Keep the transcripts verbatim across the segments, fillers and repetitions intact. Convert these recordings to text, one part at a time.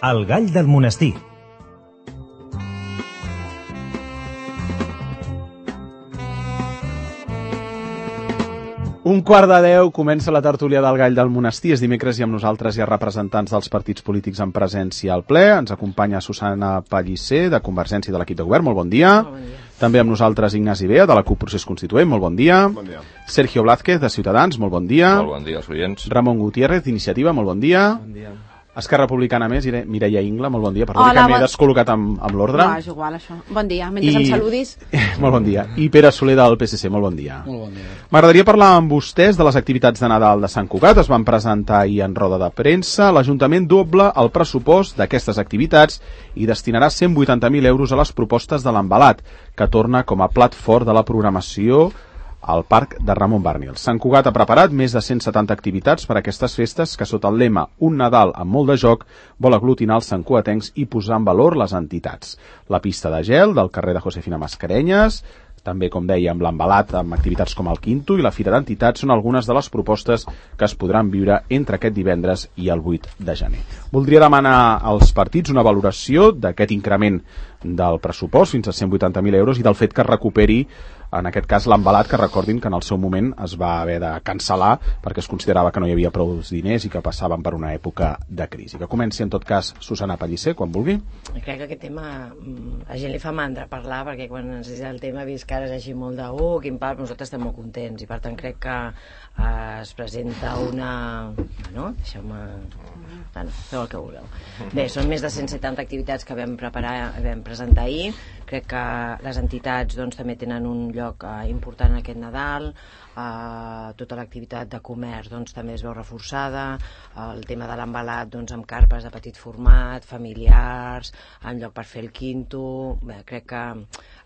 El gall del monestir. Un quart de deu comença la tertúlia del Gall del Monestir. És dimecres i amb nosaltres hi ha representants dels partits polítics en presència al ple. Ens acompanya Susana Pellicer, de Convergència i de l'equip de govern. Molt bon dia. Molt bon dia. També amb nosaltres Ignasi Bea, de la CUP Procés Constituent. Molt bon dia. Bon dia. Sergio Blázquez, de Ciutadans. Molt bon dia. Molt bon dia als oients. Ramon Gutiérrez, d'Iniciativa. Molt bon dia. Bon dia. Esquerra Republicana més, Mireia Ingla. Molt bon dia. Perdó, Hola, que m'he bon... descol·locat amb, amb l'ordre. No, és igual, això. Bon dia. Mentre I... em saludis... Molt bon dia. I Pere Soler, del P S C. Molt bon dia. Molt bon dia. M'agradaria parlar amb vostès de les activitats de Nadal de Sant Cugat. Es van presentar ahir en roda de premsa. L'Ajuntament doble el pressupost d'aquestes activitats i destinarà cent vuitanta mil euros a les propostes de l'Envelat, que torna com a plat fort de la programació al Parc de Ramon Barnils. Sant Cugat ha preparat més de cent setanta activitats per a aquestes festes que, sota el lema Un Nadal amb molt de joc, vol aglutinar els santcugatencs i posar en valor les entitats. La pista de gel del carrer de Josefina Mascarenyes, també, com dèiem, l'Envelat amb activitats com el Quinto i la Fira d'Entitats són algunes de les propostes que es podran viure entre aquest divendres i el vuit de gener. Voldria demanar als partits una valoració d'aquest increment del pressupost fins a cent vuitanta mil euros i del fet que es recuperi, en aquest cas, l'Envelat, que recordin que en el seu moment es va haver de cancel·lar perquè es considerava que no hi havia prou diners i que passaven per una època de crisi. Que comenci, en tot cas, Susana Pellicer, quan vulgui. Crec que aquest tema a gent li fa mandra parlar, perquè quan ens diu el tema vist que ara és així molt de uh, quin pal, nosaltres estem molt contents i per tant crec que eh, es presenta una... Bueno, deixeu-me... Bueno, feu el que vulgueu. Bé, són més de cent setanta activitats que vam preparar, vam presentar ahir. Crec que les entitats doncs, també tenen un lloc eh, important en aquest Nadal. Eh, tota l'activitat de comerç doncs, també es veu reforçada. Eh, el tema de l'Envelat doncs, amb carpes de petit format, familiars, en lloc per fer el Quinto. Bé, crec que,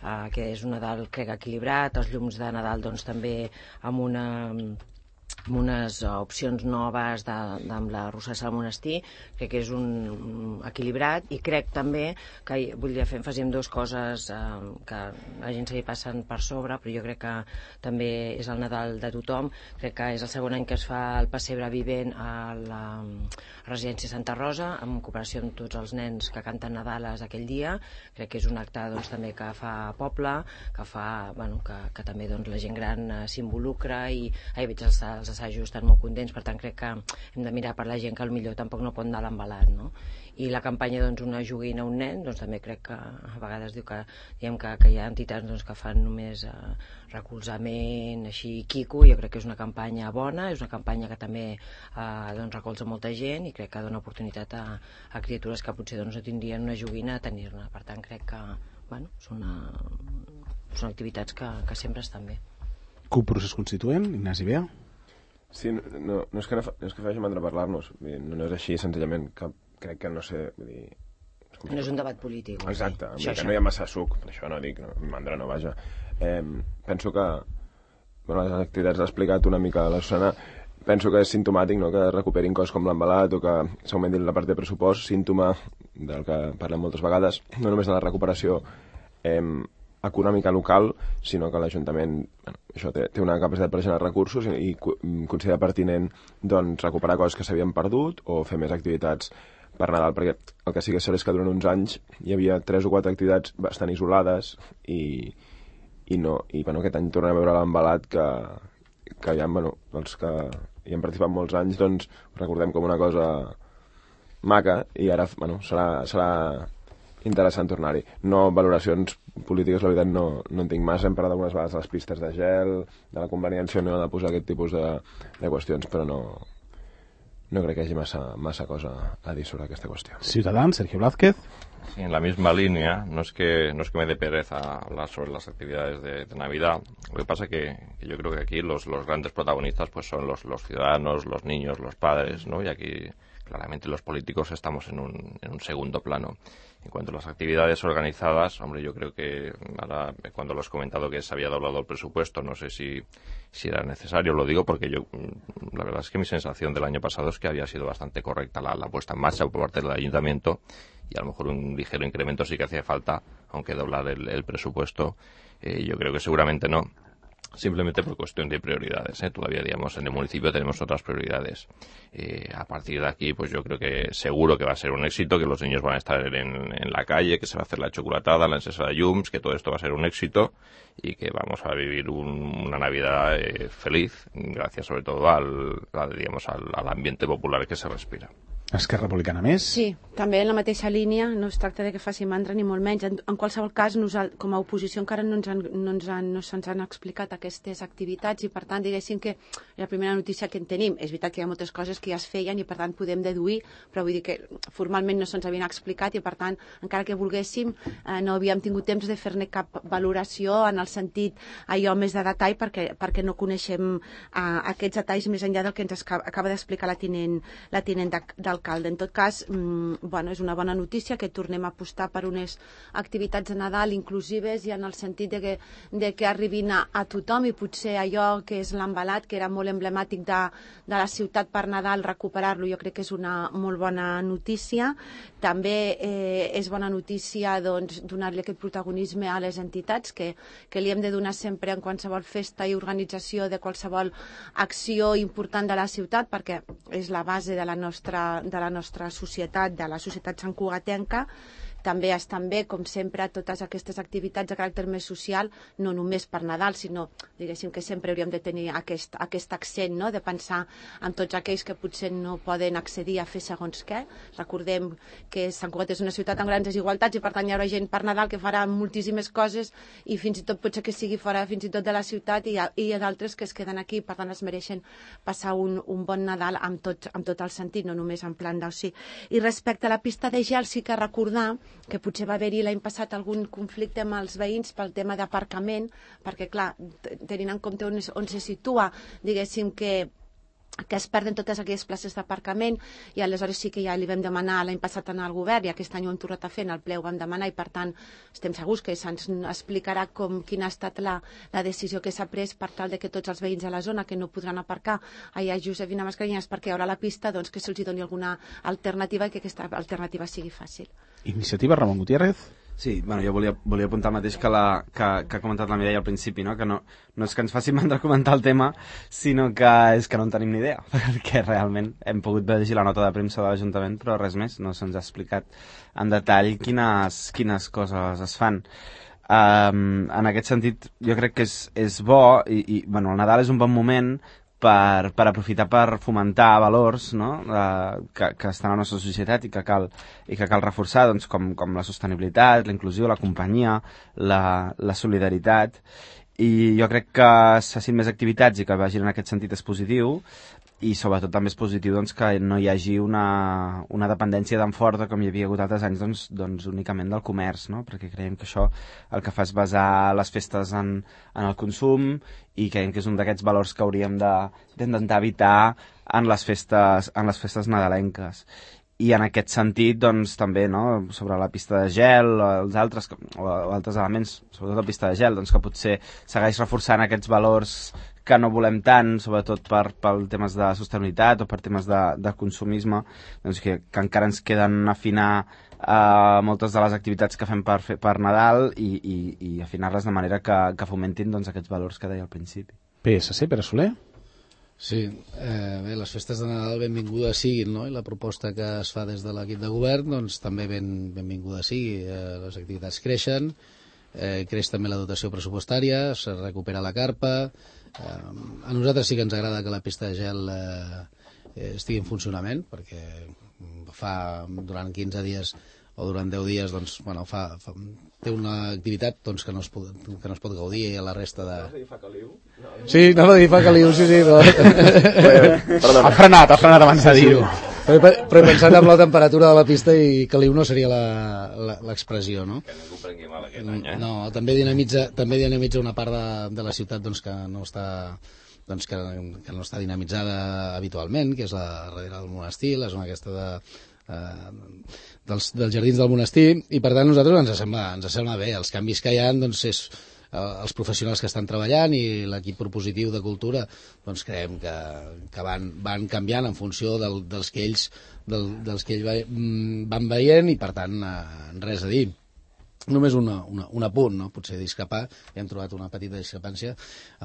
eh, que és un Nadal crec, equilibrat. Els llums de Nadal doncs, també amb una... amb unes opcions noves de, de, amb la Rossassa del Monestir. Crec que és un, un equilibrat i crec també que volia fer èmfasi en dues coses eh, que la gent se li passen per sobre, però jo crec que també és el Nadal de tothom. Crec que és el segon any que es fa el pessebre vivent a la residència Santa Rosa, en cooperació amb tots els nens que canten Nadales aquell dia. Crec que és un acte doncs, també que fa poble, que fa bueno, que, que també doncs, la gent gran eh, s'involucra i ahir veig els els assajos estan molt contents, per tant crec que hem de mirar per la gent que potser tampoc no pot anar a l'Envelat, no? I la campanya doncs, una joguina a un nen, doncs també crec que a vegades diu que, diguem que, que hi ha entitats doncs, que fan només eh, recolzament, així, quico. Jo crec que és una campanya bona, és una campanya que també eh, doncs, recolza molta gent i crec que dona oportunitat a, a criatures que potser doncs, no tindrien una joguina a tenir-ne. Per tant crec que bueno, són, una, són activitats que, que sempre estan bé. CUP Procés Constituent, Ignasi Bea. Sí, no, no és que no, no és que faci mandra parlar-nos, no, no és així, senzillament, que crec que no sé, vull dir... És no és un debat polític. Exacte, això, que això. no hi ha massa suc, per això no dic, no, mandra no, vaja. Eh, penso que, bueno, les activitats l'ha explicat una mica la Susana, penso que és simptomàtic, no?, que recuperin coses com l'Envelat o que s'augmentin la part de pressupost, símptoma del que parlem moltes vegades, no només de la recuperació eh, econòmica local, sinó que l'Ajuntament bueno, això té, té una capacitat per generar recursos i, i considera pertinent doncs, recuperar coses que s'havien perdut o fer més activitats per Nadal, perquè el que sí que és cert és que durant uns anys hi havia tres o quatre activitats bastant isolades i, i no, i bueno, aquest any tornem a veure l'Envelat que, que ja, bueno, els que hi han participat molts anys, doncs recordem com una cosa maca i ara, bueno, serà, serà interessant tornar-hi. No valoracions polítiques, la veritat, no, no en tinc massa. Hem parlat algunes vegades de les pistes de gel, de la conveniència no de posar aquest tipus de, de qüestions, però no, no crec que hi hagi massa, massa cosa a dir sobre aquesta qüestió. Ciutadans, Sergio Blázquez. Sí, en la misma línea, no es que no es que me dé pereza hablar sobre las actividades de, de Navidad. Lo que pasa que, que yo creo que aquí los, los grandes protagonistas pues son los, los ciudadanos, los niños, los padres, ¿no? Y aquí claramente los políticos estamos en un, en un segundo plano. En cuanto a las actividades organizadas, hombre, yo creo que ahora, cuando lo has comentado que se había doblado el presupuesto, no sé si, si era necesario, lo digo porque yo, la verdad es que mi sensación del año pasado es que había sido bastante correcta la, la puesta en marcha por parte del ayuntamiento y a lo mejor un ligero incremento sí que hacía falta, aunque doblar el, el presupuesto, eh, yo creo que seguramente no. simplemente por cuestión de prioridades, ¿eh? Todavía, digamos, en el municipio tenemos otras prioridades. Eh, a partir de aquí, pues yo creo que seguro que va a ser un éxito, que los niños van a estar en, en la calle, que se va a hacer la chocolatada, la encesa de llums, que todo esto va a ser un éxito y que vamos a vivir un, una Navidad eh, feliz, gracias sobre todo al, al digamos, al, al ambiente popular que se respira. Esquerra Republicana més? Sí, també en la mateixa línia, no es tracta de que faci mandra ni molt menys. En, en qualsevol cas, nosaltres, com a oposició encara no ens han, no ens han, no se'ns han explicat aquestes activitats i, per tant, diguéssim que la primera notícia que en tenim, és veritat que hi ha moltes coses que ja es feien i, per tant, podem deduir, però vull dir que formalment no se'ns havien explicat i, per tant, encara que volguéssim, eh, no havíem tingut temps de fer-ne cap valoració en el sentit allò més de detall perquè, perquè no coneixem eh, aquests detalls més enllà del que ens acaba d'explicar la tinent, la tinent d'alcalde. En tot cas, mmm, bueno, és una bona notícia que tornem a apostar per unes activitats de Nadal inclusives i en el sentit de que, de que arribin a, a tothom i potser allò que és l'embalat, que era molt emblemàtic de, de la ciutat per Nadal, recuperar-lo, jo crec que és una molt bona notícia. També eh, és bona notícia doncs, donar-li aquest protagonisme a les entitats que, que li hem de donar sempre en qualsevol festa i organització de qualsevol acció important de la ciutat perquè és la base de la nostra de la nostra societat, de la societat santcugatenca. També estan bé, com sempre, totes aquestes activitats de caràcter més social, no només per Nadal, sinó, diguéssim, que sempre hauríem de tenir aquest, aquest accent, no?, de pensar en tots aquells que potser no poden accedir a fer segons què. Recordem que Sant Cugat és una ciutat amb grans desigualtats i, per tant, hi haurà gent per Nadal que farà moltíssimes coses i fins i tot potser que sigui fora fins i tot de la ciutat i hi ha, hi ha d'altres que es queden aquí, per tant, es mereixen passar un, un bon Nadal amb tot, amb tot el sentit, no només en plan d'oci. I respecte a la pista de gel, sí que recordar que potser va haver-hi l'any passat algun conflicte amb els veïns pel tema d'aparcament, perquè, clar, tenint en compte on, on se situa, diguéssim que que es perden totes aquelles places d'aparcament i aleshores sí que ja li vam demanar l'any passat anar al govern i aquest any ho hem tornat a fer, en el ple ho vam demanar i per tant estem segurs que se'ns explicarà com, quina ha estat la, la decisió que s'ha pres per tal de que tots els veïns de la zona que no podran aparcar allà a Josefina Mascarenyes perquè hi haurà la pista, doncs que se'ls doni alguna alternativa i que aquesta alternativa sigui fàcil. Iniciativa, Ramon Gutiérrez. Sí, bueno, jo volia, volia apuntar el mateix que, la, que, que ha comentat la Mireia al principi, no? Que no, no és que ens faci mandra comentar el tema, sinó que és que no en tenim ni idea, perquè realment hem pogut llegir la nota de premsa de l'Ajuntament, però res més, no se'ns ha explicat en detall quines, quines coses es fan. Um, en aquest sentit, jo crec que és, és bo, i, i bueno, el Nadal és un bon moment per, per aprofitar per fomentar valors, no? uh, que, que estan a la nostra societat i que cal, i que cal reforçar, doncs, com, com la sostenibilitat, la inclusió, la companyia, la, la solidaritat, i jo crec que s'hacin més activitats i que vagin en aquest sentit és positiu, i sobretot també és positiu doncs, que no hi hagi una, una dependència tan forta com hi havia hagut altres anys doncs, doncs únicament del comerç, no? Perquè creiem que això el que fa és basar les festes en, en el consum i creiem que és un d'aquests valors que hauríem d'intentar evitar en les festes, en les festes nadalenques. I en aquest sentit, doncs, també, no?, sobre la pista de gel o els altres, o altres elements, sobretot la pista de gel, doncs, que potser segueix reforçant aquests valors que no volem tant, sobretot per, per temes de sostenibilitat o per temes de, de consumisme, doncs que, que encara ens queden afinar uh, moltes de les activitats que fem per, per Nadal i, i, i afinar-les de manera que, que fomentin doncs, aquests valors que deia al principi. P S C, Pere Soler? Sí, eh, bé, les festes de Nadal benvingudes siguin, no? I la proposta que es fa des de l'equip de govern, doncs també ben, benvinguda sigui. Eh, les activitats creixen, eh, creix també la dotació pressupostària, es recupera la carpa. Eh, a nosaltres sí que ens agrada que la pista de gel eh, estigui en funcionament, perquè fa durant quinze dies o durant deu dies, doncs, bueno, fa, fa, té una activitat doncs, que, no es pot, que no es pot gaudir i a la resta de... Vas a dir fa caliu? No, sí, anava a dir fa caliu, sí, sí. No. Ha frenat, ha frenat abans de dir-ho. Però, però he pensat en la temperatura de la pista i caliu no seria l'expressió, no? Que ningú prengui mal aquest any, eh? No, també dinamitza, també dinamitza una part de, de la ciutat doncs, que no està... doncs que, que no està dinamitzada habitualment, que és la darrere del monestir, la zona aquesta de... Eh, dels, dels jardins del monestir, i per tant nosaltres ens sembla, ens sembla bé. Els canvis que hi ha doncs és eh, els professionals que estan treballant i l'equip propositiu de cultura doncs creiem que, que van, van canviant en funció del, dels que ells del, dels que ells va, van veient i per tant eh, res a dir. Només una, una, un apunt, no? Potser discrepar. Hem trobat una petita discrepància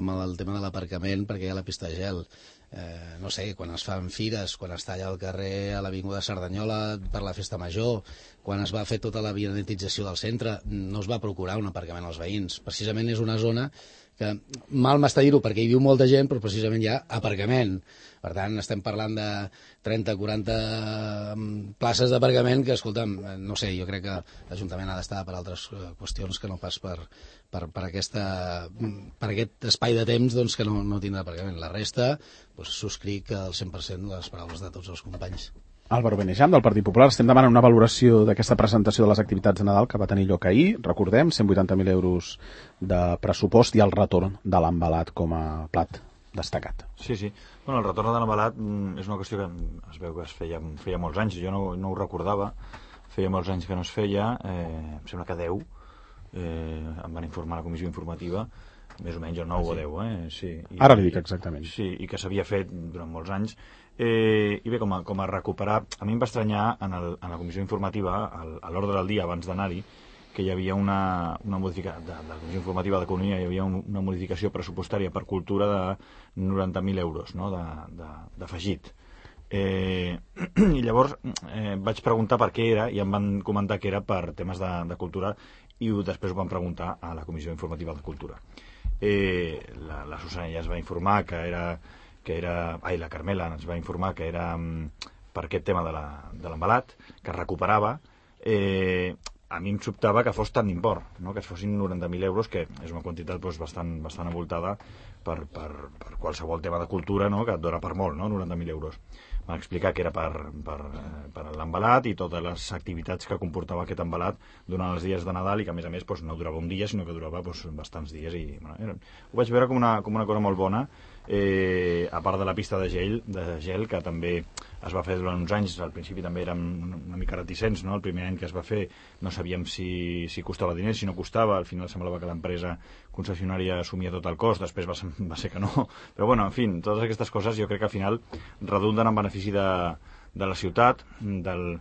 amb el, el tema de l'aparcament perquè hi ha la pista de gel. Eh, no sé, quan es fan fires, quan està allà al carrer a l'Avinguda Cerdanyola per la festa major, quan es va fer tota la vianetització del centre, no es va procurar un aparcament als veïns. Precisament és una zona que mal m'està dir-ho perquè hi viu molta gent, però precisament hi ha aparcament. Per tant, estem parlant de trenta o quaranta places d'aparcament que, escolta'm, no sé, jo crec que l'Ajuntament ha d'estar per altres qüestions que no pas per, per, per, aquesta, per aquest espai de temps doncs, que no, no tindrà aparcament. La resta, doncs, subscric al cent per cent les paraules de tots els companys. Álvaro Benejam, del Partit Popular. Estem demanant una valoració d'aquesta presentació de les activitats de Nadal que va tenir lloc ahir. Recordem, cent vuitanta mil euros de pressupost i el retorn de l'embalat com a plat destacat. Sí, sí. Bueno, el retorn de l'embalat és una qüestió que es veu que es feia, feia molts anys. Jo no, no ho recordava. Feia molts anys que no es feia. Eh, em sembla que deu. Eh, em van informar a la comissió informativa. Més o menys el nou o deu. Eh? Sí. I, Ara li dic exactament. Sí, i que s'havia fet durant molts anys. Eh, I bé, com a, com a recuperar, a mi em va estranyar en, el, en la comissió informativa, al, a l'ordre del dia abans d'anar-hi, que hi havia una, una modificació, de, de la comissió informativa d'Economia, hi havia un, una modificació pressupostària per cultura de noranta mil euros, no?, d'afegit. Eh, I llavors eh, vaig preguntar per què era, i em van comentar que era per temes de, de cultura, i després ho van preguntar a la comissió informativa de cultura. Eh, la, la Susana ja es va informar que era... que era, ai, la Carmela ens va informar que era um, per aquest tema de l'embalat, que es recuperava. Eh, a mi em sobtava que fos tant d'import, no? Que es fossin noranta mil euros, que és una quantitat doncs, bastant, bastant avoltada per, per, per qualsevol tema de cultura, no? Que et dona per molt, no? noranta mil euros. Van explicar que era per, per, per l'embalat i totes les activitats que comportava aquest embalat durant els dies de Nadal, i que a més a més doncs, no durava un dia, sinó que durava doncs, bastants dies. I, bueno, era, ho vaig veure com una, com una cosa molt bona, eh, a part de la pista de gel, de gel que també es va fer durant uns anys. Al principi també érem una mica reticents, no? El primer any que es va fer no sabíem si, si costava diners, si no costava. Al final semblava que l'empresa concessionària assumia tot el cost, després va ser, va ser que no. Però bueno, en fi, totes aquestes coses jo crec que al final redunden en benefici de, de la ciutat, del,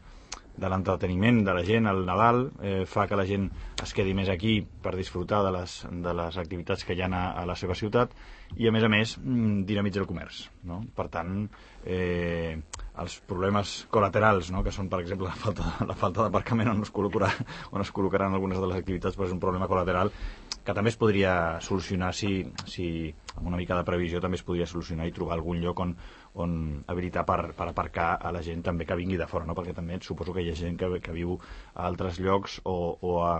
de l'entreteniment de la gent al Nadal, eh, fa que la gent es quedi més aquí per disfrutar de les, de les activitats que hi ha a, a la seva ciutat, i a més a més dinamitza el comerç, no? Per tant, eh, els problemes col·laterals, no? Que són, per exemple, la falta, la falta d'aparcament on es col·locarà, on es col·locaran algunes de les activitats, però és un problema col·lateral que també es podria solucionar si, si amb una mica de previsió també es podria solucionar i trobar algun lloc on, on habilitar per, per aparcar a la gent també que vingui de fora, no? Perquè també suposo que hi ha gent que, que viu a altres llocs o, o, a,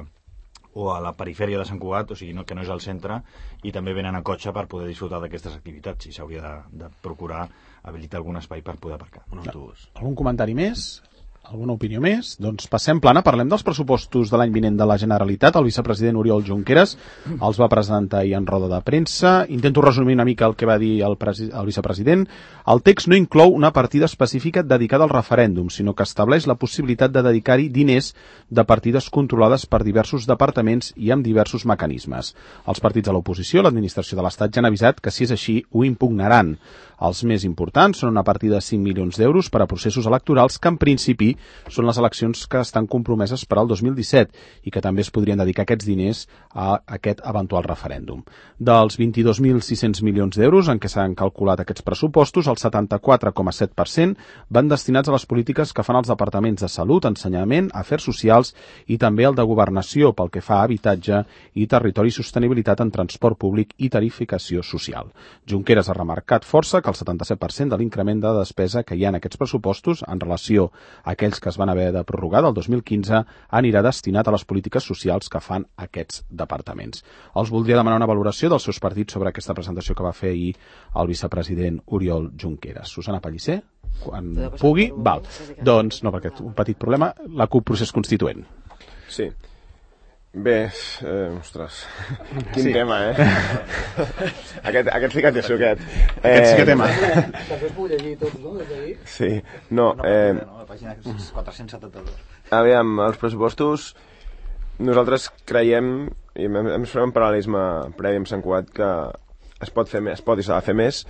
o a la perifèria de Sant Cugat, o sigui, no, que no és al centre, i també venen en cotxe per poder disfrutar d'aquestes activitats, i s'hauria de, de procurar habilitar algun espai per poder aparcar. Un autobús. Algun comentari més? Alguna opinió més? Doncs passem plana, parlem dels pressupostos de l'any vinent de la Generalitat. El vicepresident Oriol Junqueras els va presentar ahir en roda de premsa. Intento resumir una mica el que va dir el, el vicepresident. El text no inclou una partida específica dedicada al referèndum, sinó que estableix la possibilitat de dedicar-hi diners de partides controlades per diversos departaments i amb diversos mecanismes. Els partits de l'oposició, l'administració de l'Estat, ja han avisat que si és així ho impugnaran. Els més importants són una partida de cinc milions d'euros per a processos electorals que en principi són les eleccions que estan compromeses per al dos mil disset i que també es podrien dedicar aquests diners a aquest eventual referèndum. Dels vint-i-dos mil sis-cents milions d'euros en què s'han calculat aquests pressupostos, el setanta-quatre coma set per cent van destinats a les polítiques que fan els departaments de Salut, Ensenyament, Afers Socials i també el de Governació pel que fa a habitatge i territori i sostenibilitat en transport públic i tarificació social. Junqueras ha remarcat força que el setanta-set per cent de l'increment de despesa que hi ha en aquests pressupostos en relació a aquells que es van haver de prorrogar del dos mil quinze anirà destinat a les polítiques socials que fan aquests departaments. Els voldria demanar una valoració dels seus partits sobre aquesta presentació que va fer ahir el vicepresident Oriol Junqueras. Susana Pellicer, quan pugui. Val. Doncs, no, perquè un petit problema, la CUP Procés Constituent. Sí. Bé, eh, ostres, quin sí. tema, eh? aquest, aquest sí que té suquet. Eh, aquest sí que tema. Després puc llegir tots, no? Sí, no, eh... La pàgina quatre-cents setanta-dos. Aviam, els pressupostos, nosaltres creiem, i ens farem un paral·lelisme previ amb Sant Cugat, que es pot fer més, es pot i s'ha de fer més.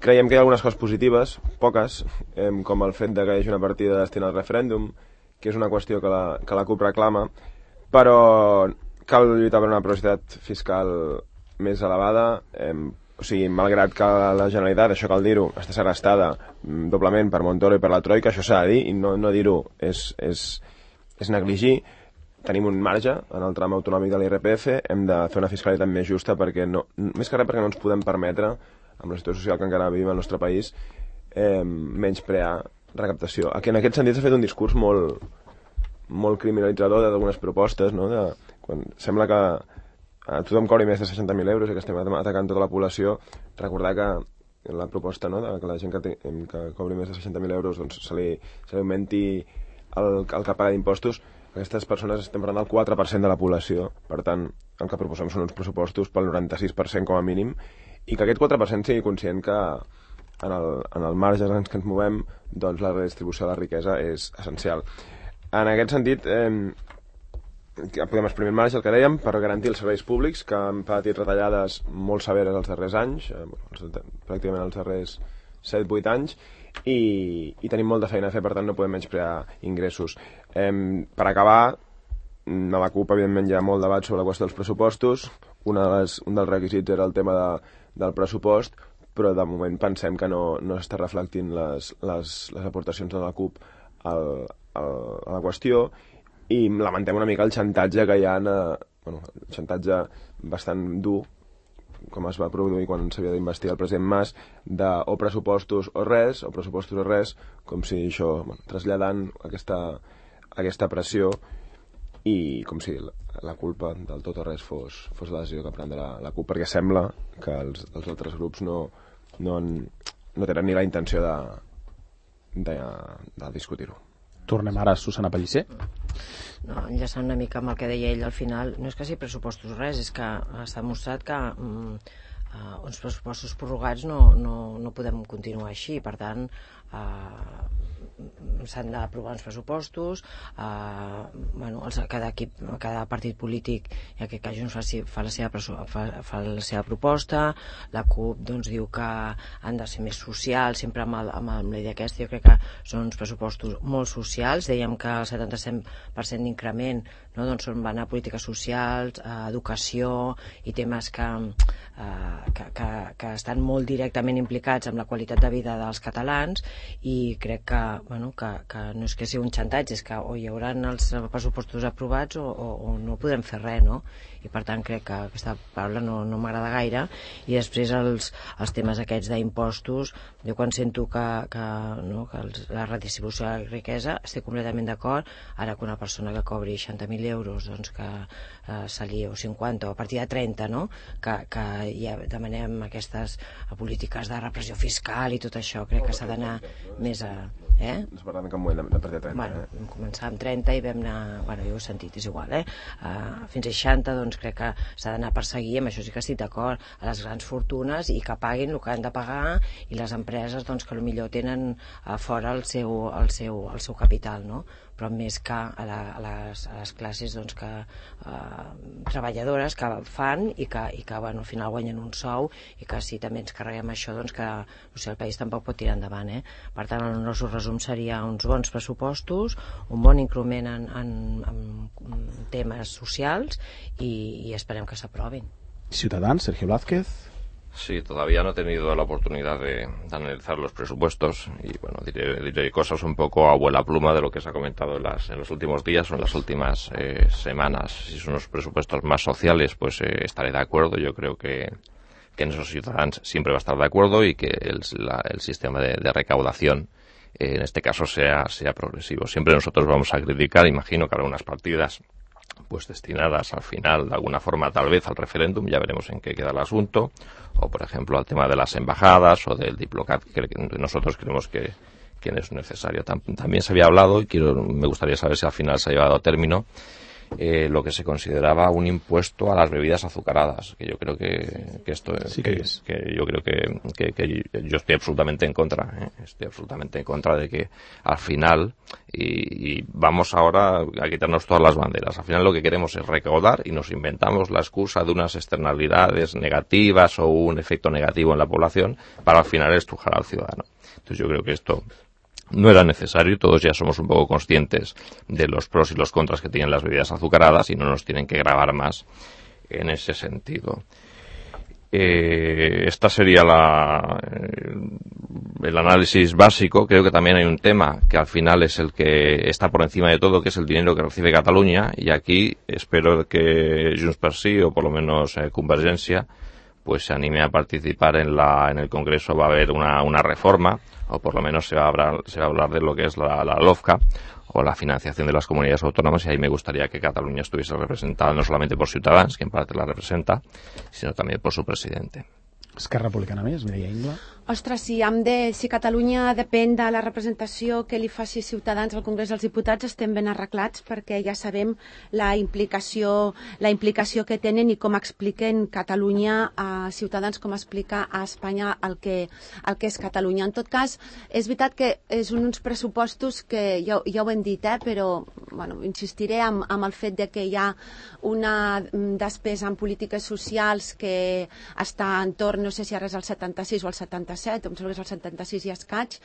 Creiem que hi ha algunes coses positives, poques, eh, com el fet de que hi hagi una partida destinada al referèndum, que és una qüestió que la, que la CUP reclama, però cal lluitar per una progressivitat fiscal més elevada, eh, o sigui, malgrat que la Generalitat, això cal dir-ho, està segrestada doblement per Montoro i per la Troika, això s'ha de dir, i no, no dir-ho és, és, és negligir. Tenim un marge en el tram autonòmic de l'I R P F, hem de fer una fiscalitat més justa perquè no, més que res perquè no ens podem permetre, amb la situació social que encara vivim al nostre país, eh, menysprear recaptació. Aquí, en aquest sentit s'ha fet un discurs molt, molt criminalitzador d'algunes propostes, no? De, quan sembla que a tothom cobri més de seixanta mil euros i que estem atacant tota la població, recordar que la proposta, no?, de que la gent que, té, que cobri més de seixanta mil euros doncs, se, li, se li augmenti el, el que paga d'impostos. Aquestes persones estem parlant del quatre per cent de la població, per tant, el que proposem són uns pressupostos pel noranta-sis per cent com a mínim, i que aquest quatre per cent sigui conscient que en el, en el marge en què ens movem, doncs la redistribució de la riquesa és essencial. En aquest sentit, eh, podem exprimir el marge, el que dèiem, per garantir els serveis públics, que han patit retallades molt severes els darrers anys, eh, pràcticament els darrers set vuit anys, i, i tenim molta feina a fer, per tant no podem menysprear ingressos. Eh, per acabar, a la CUP evidentment hi ha molt debat sobre la qüestió dels pressupostos. Una de les, un dels requisits era el tema de, del pressupost, però de moment pensem que no, no s'està reflectint les, les, les aportacions de la CUP al, al, a la qüestió, i lamentem una mica el xantatge que hi ha, eh, bueno, el xantatge bastant dur, com es va produir quan s'havia d'investir el president Mas, de o pressupostos o res, o pressupostos o res, com si això, bueno, traslladant aquesta, aquesta pressió, i com si la, la culpa del tot o res fos, fos la decisió que prendrà la, la CUP, perquè sembla que els, els altres grups no, no, han, no tenen ni la intenció de, de, de discutir-ho. Tornem ara a Susana Pellicer. No, enllaçant una mica amb el que deia ell al final, no és que sigui pressupostos res, és que s'ha demostrat que mm, uh, uns pressupostos prorrogats no, no, no podem continuar així, per tant uh, s'han d'aprovar uns pressupostos, eh, bueno, els, cada equip, cada partit polític, en aquest cas Junts fa, fa, la seva, fa, fa la seva proposta, la CUP doncs, diu que han de ser més socials, sempre amb, el, amb, amb la idea aquesta. Jo crec que són uns pressupostos molt socials, dèiem que el setanta-set per cent d'increment, no, doncs van a polítiques socials, a educació i temes que, eh, que, que, que estan molt directament implicats amb la qualitat de vida dels catalans, i crec que, bueno, que, que no és que sigui un xantatge, és que o hi haurà els pressupostos aprovats o, o, o no podrem fer res, no? I per tant crec que aquesta paraula no, no m'agrada gaire. I després els, els temes aquests d'impostos, jo quan sento que, que, no, que els, la redistribució de la riquesa, estic completament d'acord. Ara que una persona que cobri seixanta mil euros, doncs que eh, se li, o cinquanta, o a partir de trenta, no? que, que ja demanem aquestes polítiques de repressió fiscal i tot això, crec que s'ha d'anar més a... Eh? Ens parlem en cap moment de partir de trenta. Bueno, eh? vam començar amb trenta i vam anar, bueno, jo ho he sentit, és igual, eh? Uh, fins a seixanta, doncs crec que s'ha d'anar a perseguir, amb això sí que estic d'acord, a les grans fortunes, i que paguin el que han de pagar, i les empreses doncs, que potser tenen uh, fora el seu, el, seu, el seu capital, no? Però més que a, la, a, les, a les classes doncs, que, uh, treballadores que fan i que, i que bueno, al final guanyen un sou, i que si també ens carreguem això, doncs que no sé, el país tampoc pot tirar endavant. Eh? Per tant, el nostre resum seria uns bons pressupostos, un bon increment en, en, en temes socials, i, i esperem que s'aprovin. Ciutadans, Sergio Blázquez. Sí, todavía no he tenido la oportunidad de, de analizar los presupuestos y bueno, diré, diré cosas un poco a vuela pluma de lo que se ha comentado en, las, en los últimos días o en las últimas eh, semanas. Si son unos presupuestos más sociales, pues eh, estaré de acuerdo. Yo creo que, que en esos Ciudadanos siempre va a estar de acuerdo, y que el, la, el sistema de, de recaudación eh, en este caso sea, sea progresivo. Siempre nosotros vamos a criticar, imagino que habrá unas partidas pues destinadas al final, de alguna forma, tal vez al referéndum, ya veremos en qué queda el asunto, o por ejemplo al tema de las embajadas o del Diplocat, que nosotros creemos que, que es necesario. También se había hablado, y quiero, me gustaría saber si al final se ha llevado a término, eh, lo que se consideraba un impuesto a las bebidas azucaradas, que yo creo que, que esto sí que, que, es. que yo creo que, que, que yo estoy absolutamente en contra, ¿eh? estoy absolutamente en contra de que al final, y, y vamos ahora a quitarnos todas las banderas, al final lo que queremos es recaudar, y nos inventamos la excusa de unas externalidades negativas o un efecto negativo en la población para al final estrujar al ciudadano. Entonces yo creo que esto no era necesario, todos ya somos un poco conscientes de los pros y los contras que tienen las bebidas azucaradas y no nos tienen que gravar más en ese sentido. Eh, esta sería la, eh, el análisis básico. Creo que también hay un tema que al final es el que está por encima de todo, que es el dinero que recibe Cataluña, y aquí espero que Junts per Sí, o por lo menos eh, Convergencia, pues se anime a participar en la en el Congreso. Va a haber una, una reforma, o por lo menos se va a hablar, se va a hablar de lo que es la, la LOFCA, o la financiación de las comunidades autónomas, y ahí me gustaría que Cataluña estuviese representada no solamente por Ciutadans, que en parte la representa, sino también por su presidente. Esquerra Republicana més, Mireia Ingla. Ostres, si, hem de, si Catalunya depèn de la representació que li faci Ciutadans al Congrés dels Diputats, estem ben arreglats, perquè ja sabem la implicació, la implicació que tenen i com expliquen Catalunya a Ciutadans, com explica a Espanya el que, el que és Catalunya. En tot cas, és veritat que és uns pressupostos que ja, ja ho hem dit, eh, però bueno, insistiré amb, amb el fet de que hi ha una despesa en polítiques socials que està entorn, no sé si ara és el setanta-sis o el setanta-set, em sembla que és el setanta-sis i escaig,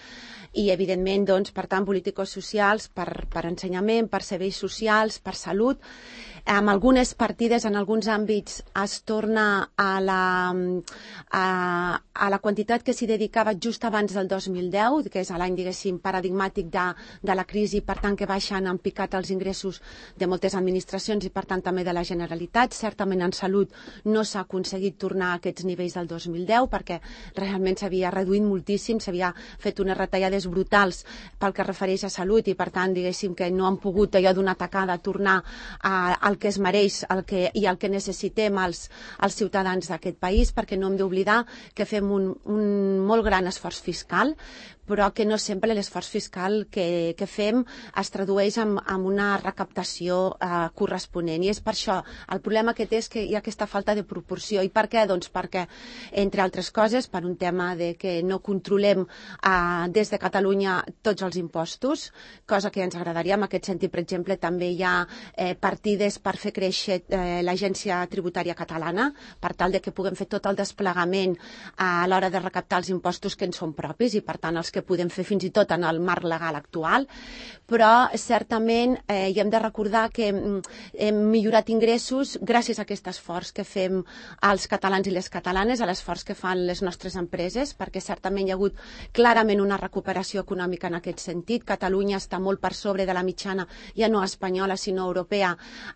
i evidentment, doncs, per tant, polítiques socials per, per ensenyament, per serveis socials, per salut. Amb algunes partides, en alguns àmbits, es torna a la, a, a la quantitat que s'hi dedicava just abans del dos mil deu, que és l'any, diguéssim, paradigmàtic de, de la crisi, per tant, que baixen en picat els ingressos de moltes administracions i, per tant, també de la Generalitat. Certament, en salut no s'ha aconseguit tornar a aquests nivells del dos mil deu, perquè realment s'havia reduït moltíssim, s'havia fet unes retallades brutals pel que refereix a salut i, per tant, diguéssim que no han pogut allò d'una tacada tornar a, al que es mereix el que, i el que necessitem els, els ciutadans d'aquest país, perquè no hem d'oblidar que fem un, un molt gran esforç fiscal, però que no sempre l'esforç fiscal que, que fem es tradueix en, en una recaptació eh, corresponent. I és per això, el problema que té és que hi ha aquesta falta de proporció. I per què? Doncs perquè, entre altres coses, per un tema de que no controlem eh, des de Catalunya tots els impostos, cosa que ens agradaria. En aquest sentit, per exemple, també hi ha eh, partides per fer créixer eh, l'Agència Tributària Catalana, per tal de que puguem fer tot el desplegament eh, a l'hora de recaptar els impostos que ens són propis i, per tant, els que podem fer fins i tot en el marc legal actual, però certament eh, hi hem de recordar que hem millorat ingressos gràcies a aquest esforç que fem els catalans i les catalanes, a l'esforç que fan les nostres empreses, perquè certament hi ha hagut clarament una recuperació econòmica en aquest sentit. Catalunya està molt per sobre de la mitjana, ja no espanyola, sinó europea,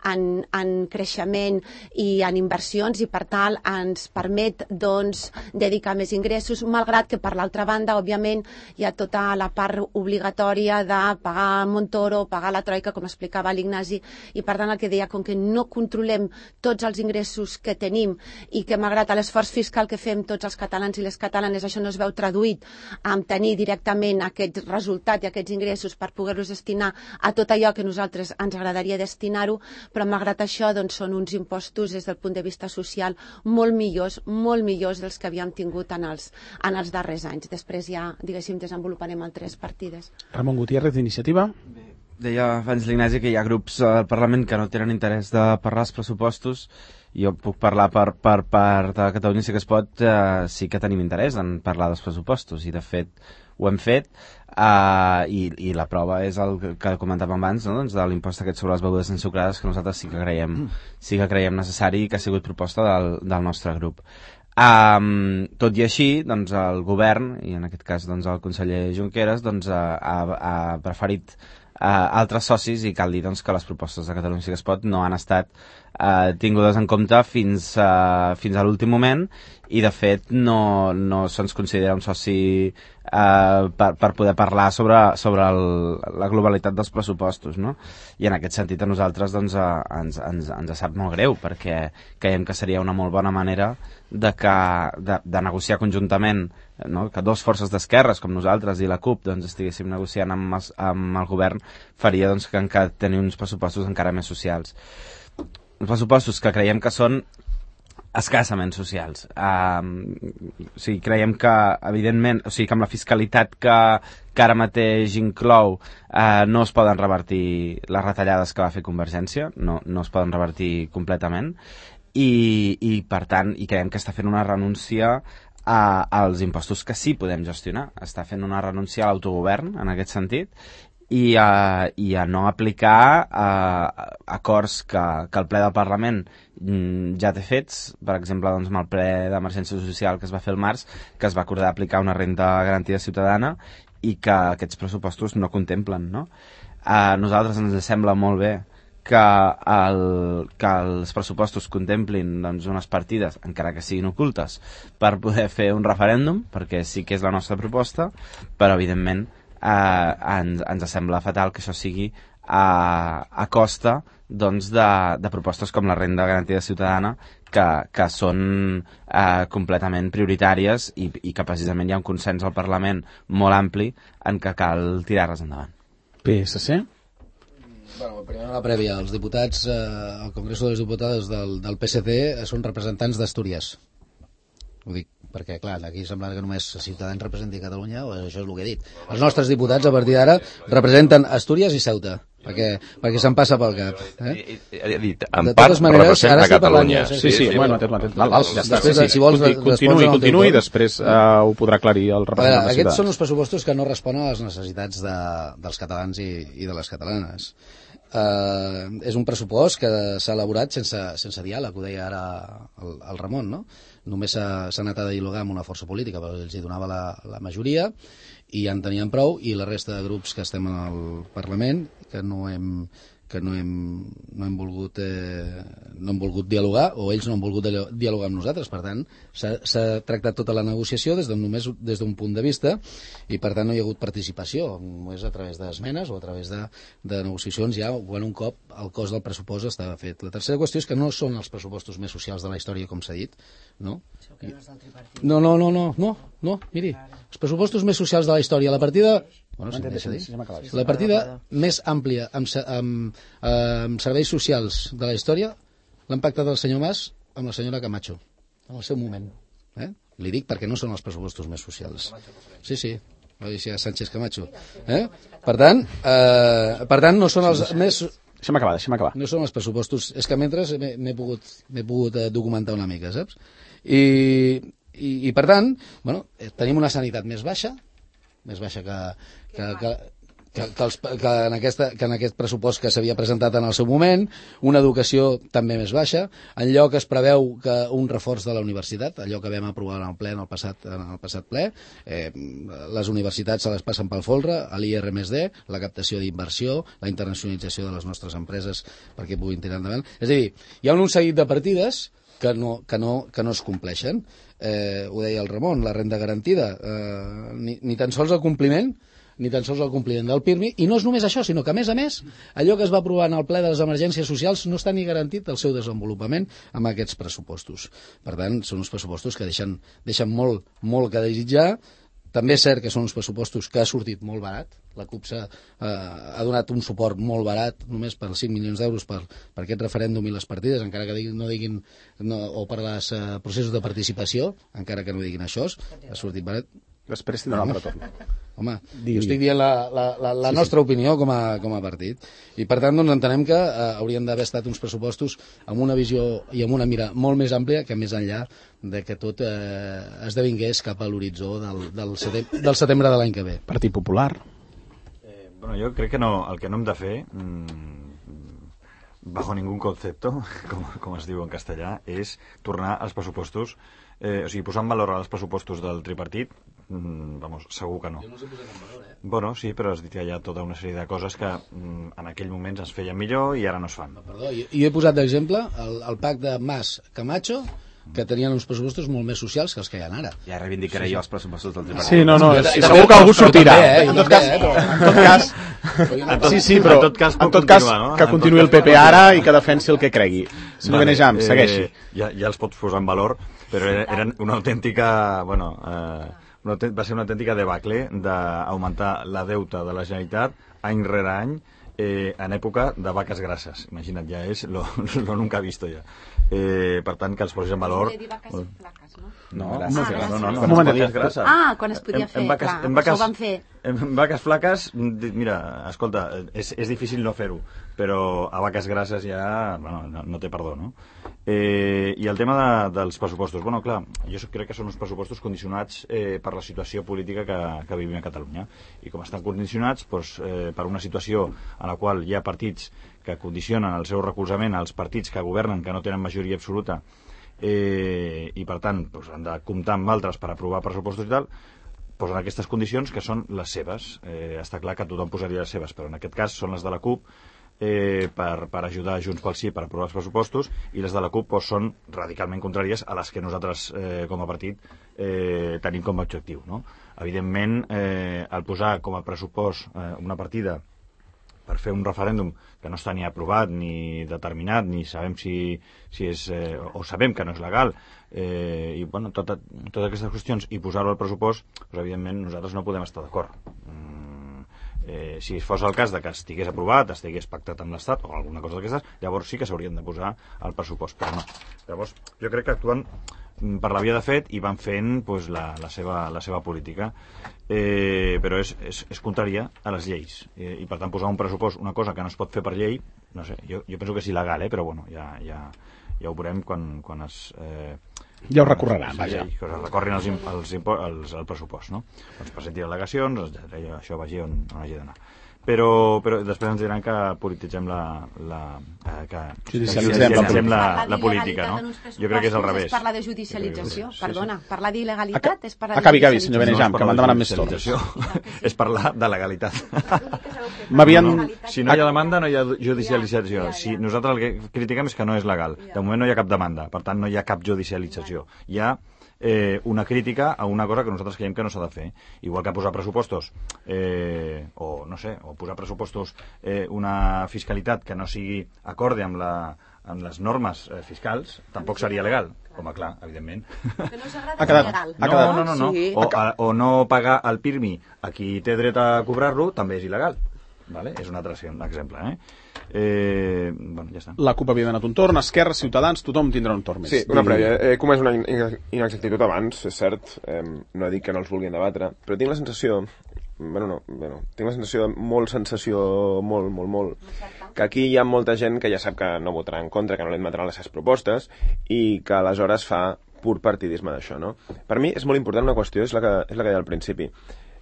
en, en creixement i en inversions, i per tant ens permet doncs, dedicar més ingressos, malgrat que per l'altra banda, òbviament, hi ha tota la part obligatòria de pagar Montoro, pagar la Troika, com explicava l'Ignasi, i per tant el que deia, com que no controlem tots els ingressos que tenim i que malgrat l'esforç fiscal que fem tots els catalans i les catalanes, això no es veu traduït en tenir directament aquest resultat i aquests ingressos per poder-los destinar a tot allò que nosaltres ens agradaria destinar-ho, però malgrat això doncs, són uns impostos des del punt de vista social molt millors, molt millors dels que havíem tingut en els, en els darrers anys. Després ja, diguéssim, desenvoluparem altres partides. Ramon Gutiérrez, d'Iniciativa. Deia abans l'Ignasi que hi ha grups al Parlament que no tenen interès de parlar els pressupostos. Jo puc parlar per, per part de Catalunya Sí que es pot, eh, sí que tenim interès en parlar dels pressupostos i de fet ho hem fet, eh, i, i la prova és el que comentàvem abans, no? Doncs de l'impost aquest sobre les begudes ensucrades, que nosaltres sí que creiem, sí que creiem necessari i que ha sigut proposta del, del nostre grup. Um, tot i així, doncs, el govern, i en aquest cas doncs, el conseller Junqueras, doncs, ha, ha, ha preferit uh, altres socis, i cal dir doncs, que les propostes de Catalunya Sí que es pot no han estat uh, tingudes en compte fins, uh, fins a l'últim moment, i de fet no, no se'ns considera un soci uh, per, per poder parlar sobre, sobre el, la globalitat dels pressupostos, no? I en aquest sentit a nosaltres doncs, uh, ens, ens, ens sap molt greu, perquè creiem que seria una molt bona manera de, que, de, de negociar conjuntament, no? Que dos forces d'esquerres com nosaltres i la CUP doncs, estiguéssim negociant amb, els, amb el govern, faria doncs, que encara tenir uns pressupostos encara més socials. Uns pressupostos que creiem que són escassament socials. Uh, o sigui, creiem que, evidentment, o sigui, que amb la fiscalitat que, que ara mateix inclou uh, no es poden revertir les retallades que va fer Convergència, no, no es poden revertir completament, i, i per tant, i creiem que està fent una renúncia a, als impostos que sí podem gestionar. Està fent una renúncia a l'autogovern, en aquest sentit, i a, i a no aplicar a, acords que, que el ple del Parlament ja té fets, per exemple, doncs, amb el ple d'emergència social que es va fer el març, que es va acordar aplicar una renda garantida ciutadana i que aquests pressupostos no contemplen, no? A nosaltres ens sembla molt bé que, el, que els pressupostos contemplin doncs, unes partides, encara que siguin ocultes, per poder fer un referèndum, perquè sí que és la nostra proposta, però evidentment eh, ens, ens sembla fatal que això sigui a, a costa doncs, de, de propostes com la renda garantida ciutadana, que, que són eh, completament prioritàries i, i que precisament hi ha un consens al Parlament molt ampli en què cal tirar-les endavant. P S C? Bueno, primer una prèvia. Els diputats eh, al Congreso de les Diputades del, del P S C són representants d'Astúries. Ho dic perquè, clar, aquí sembla que només Ciutadans representi Catalunya, o això és el que he dit. Els nostres diputats, a partir d'ara, representen Astúries i Ceuta, perquè, perquè se'n passa pel cap. Eh? He dit, en part representa Catalunya. Sí, sí, sí, sí, bueno, atès, atès. Val, val, ja està. Després, Sí, sí. si vols, Conti- Continuï, continuï i després uh, ho podrà aclarir el A veure, representant de aquests Ciutadans. són uns pressupostos que no responen a les necessitats de, dels catalans i, i de les catalanes. Uh, és un pressupost que s'ha elaborat sense, sense diàleg, ho deia ara el, el Ramon, no? Només s'ha s'ha anat a dialogar amb una força política, però els hi donava la, la majoria i ja en tenien prou, i la resta de grups que estem al Parlament, que no hem, que no hem, no hem volgut eh, no hem volgut dialogar, o ells no han volgut dialogar amb nosaltres. Per tant, s'ha tractat tota la negociació des de només des d'un punt de vista, i per tant no hi ha hagut participació, només a través d'esmenes o a través de, de negociacions ja quan un cop el cost del pressupost estava fet. La tercera qüestió és que no són els pressupostos més socials de la història, com s'ha dit, no? No, no, no, no, no, no, miri, els pressupostos més socials de la història, la partida... Bueno, si deixa dir. La partida més àmplia amb, amb, amb serveis socials de la història l'han pactat el senyor Mas amb la senyora Camacho en el seu moment. Eh? Li dic perquè no són els pressupostos més socials. Sí, sí, va dir Sánchez Camacho. Eh? Per tant, eh, per tant, no són els més... Deixa'm acabar, deixa'm acabar. No són els pressupostos... És que mentre m'he pogut, m'he pogut eh, documentar una mica, saps? I, i, i per tant, bueno, tenim una sanitat més baixa, més baixa que, que, que, que, que, els, que, en aquesta, que en aquest pressupost que s'havia presentat en el seu moment, una educació també més baixa, en lloc es preveu que un reforç de la universitat, allò que vam aprovar en el ple en el passat, en el passat ple, eh, les universitats se les passen pel folre, l'I R més D, la captació d'inversió, la internacionalització de les nostres empreses perquè puguin tirar endavant. És a dir, hi ha un seguit de partides que no, que no, que no es compleixen. Eh, ho deia el Ramon, la renda garantida, eh, ni, ni tan sols el compliment, ni tan sols el compliment del P I R M I, i no és només això, sinó que, a més a més, allò que es va aprovar en el ple de les emergències socials no està ni garantit el seu desenvolupament amb aquests pressupostos. Per tant, són uns pressupostos que deixen, deixen molt, molt que desitjar. També és cert que són uns pressupostos que ha sortit molt barat. La CUP ha, eh, ha donat un suport molt barat, només per cinc milions d'euros per, per aquest referèndum i les partides, encara que diguin, no diguin, no, o per els eh, processos de participació, encara que no diguin això, ha sortit barat. Després tindrà un altre torn. Home, jo estic dient la, la, la, la nostra sí, sí. opinió com a, com a partit. I per tant, doncs, entenem que eh, haurien d'haver estat uns pressupostos amb una visió i amb una mira molt més àmplia, que més enllà de que tot eh, esdevingués cap a l'horitzó del, del, setembre, del setembre de l'any que ve. Partit Popular. Eh, bueno, jo crec que no, el que no hem de fer, mmm, bajo ningún concepto, com, com es diu en castellà, és tornar als pressupostos, eh, o sigui, posar en valor els pressupostos del tripartit, mm, vamos, segur que no. Jo no els he posat en valor, eh? Bueno, sí, però has dit que hi ha tota una sèrie de coses que mm, en aquell moment es feien millor i ara no es fan. No, perdó, jo, jo he posat d'exemple el, el pacte de Mas-Camacho, que tenien uns pressupostos molt més socials que els que hi ha ara. Ja reivindicaré sí, sí. jo els pressupostos del tripartit. Sí, no, no, Jo, sí, jo, segur jo, que algú però sortirà. també, eh, En tot cas, també, eh, però- en tot cas, En tot- sí, sí, però en tot cas, pot en tot cas continuar, no? que En continuï tot el P cas P pot ara continuar. i que defensi el que cregui. Senyor Vale, Benejam, segueixi. Eh, ja, ja els pots posar en valor, però eren una autèntica... Bueno, eh, una, autènt- va ser una autèntica debacle d'augmentar la deuta de la Generalitat any rere any eh, en època de vaques grasses. Imagina't, ja és lo, lo nunca visto ja. Eh, per tant, que els posis en valor... No, grasses, ah, no, no, no, un moment, no, grasses. Ah, quan es podia En- fer, en vaques- clar, en per això vaques- ho van fer. En vaques flaques, di- mira, escolta, és, és difícil no fer-ho, però a vaques grasses ja bueno, no, no té perdó, no? Eh, I el tema de, dels pressupostos, bueno, clar, jo crec que són uns pressupostos condicionats eh, per la situació política que, que vivim a Catalunya, i com estan condicionats doncs, eh, per una situació en la qual hi ha partits que condicionen el seu recolzament als partits que governen, que no tenen majoria absoluta, eh, i per tant doncs, han de comptar amb altres per aprovar pressupostos i tal, posen aquestes condicions que són les seves. Eh, està clar que tothom posaria les seves, però en aquest cas són les de la CUP, eh, per, per ajudar Junts pel Sí per aprovar els pressupostos, i les de la CUP doncs, són radicalment contràries a les que nosaltres eh, com a partit eh, tenim com a objectiu, no? Evidentment, eh, el posar com a pressupost eh, una partida per fer un referèndum que no està ni aprovat ni determinat, ni sabem si, si és, eh, o sabem que no és legal, eh, i bueno, tota, totes aquestes qüestions, i posar-ho al pressupost, doncs, evidentment nosaltres no podem estar d'acord. Mm, eh, si fos el cas de que estigués aprovat, estigués pactat amb l'Estat o alguna cosa d'aquestes, llavors sí que s'haurien de posar al pressupost, però no. Llavors, jo crec que actuen per la via de fet i van fent pues, la, la, seva, la seva política, eh, però és, és, és contrària a les lleis, eh, i per tant posar un pressupost, una cosa que no es pot fer per llei, no sé, jo, jo penso que és il·legal, eh, però bueno, ja, ja, ja ho veurem quan, quan es... Eh, ja ho recorreran, vaja. Que es recorrin els, els, els, el pressupost, no? Doncs presenti al·legacions, això vagi on, on hagi d'anar. Però, però després ens diran que polititzem la, la, eh, que judicialitzem, judicialitzem la, la, la política, no? Jo crec que és al revés. És parlar de judicialització, perdona. Parlar d'il·legalitat és parlar de acabi, acabi, judicialització. senyor Benejam, que m'han demanat més torns. És parlar de legalitat. M'havien... No, si no hi ha demanda, no hi ha judicialització. Si nosaltres el que critiquem és que no és legal. De moment no hi ha cap demanda, per tant no hi ha cap judicialització. Hi ha Eh, una crítica a una cosa que nosaltres creiem que no s'ha de fer. Igual que posar pressupostos, eh, o no sé, o posar pressupostos eh, una fiscalitat que no sigui acorde amb, la, amb les normes eh, fiscals, tampoc seria legal. Home, clar, evidentment. Que no s'agrada Ha quedat, legal. ha quedat. No, no, no. no. Sí. O, a, o no pagar el pirmi a qui té dret a cobrar-lo també és il·legal. Vale? És un altre exemple, eh? Eh, bueno, ja està. La CUP havia donat un torn, Esquerra, Ciutadans, tothom tindrà un torn més. Sí, una prèvia. He comès una inexactitud abans, és cert, eh, no dic que no els vulguin debatre, però tinc la sensació, bueno, no, bueno, tinc la sensació de molt sensació, molt, molt, molt, que aquí hi ha molta gent que ja sap que no votarà en contra, que no li admetran les seves propostes, i que aleshores fa pur partidisme d'això, no? Per mi és molt important una qüestió, és la que, és la que deia al principi.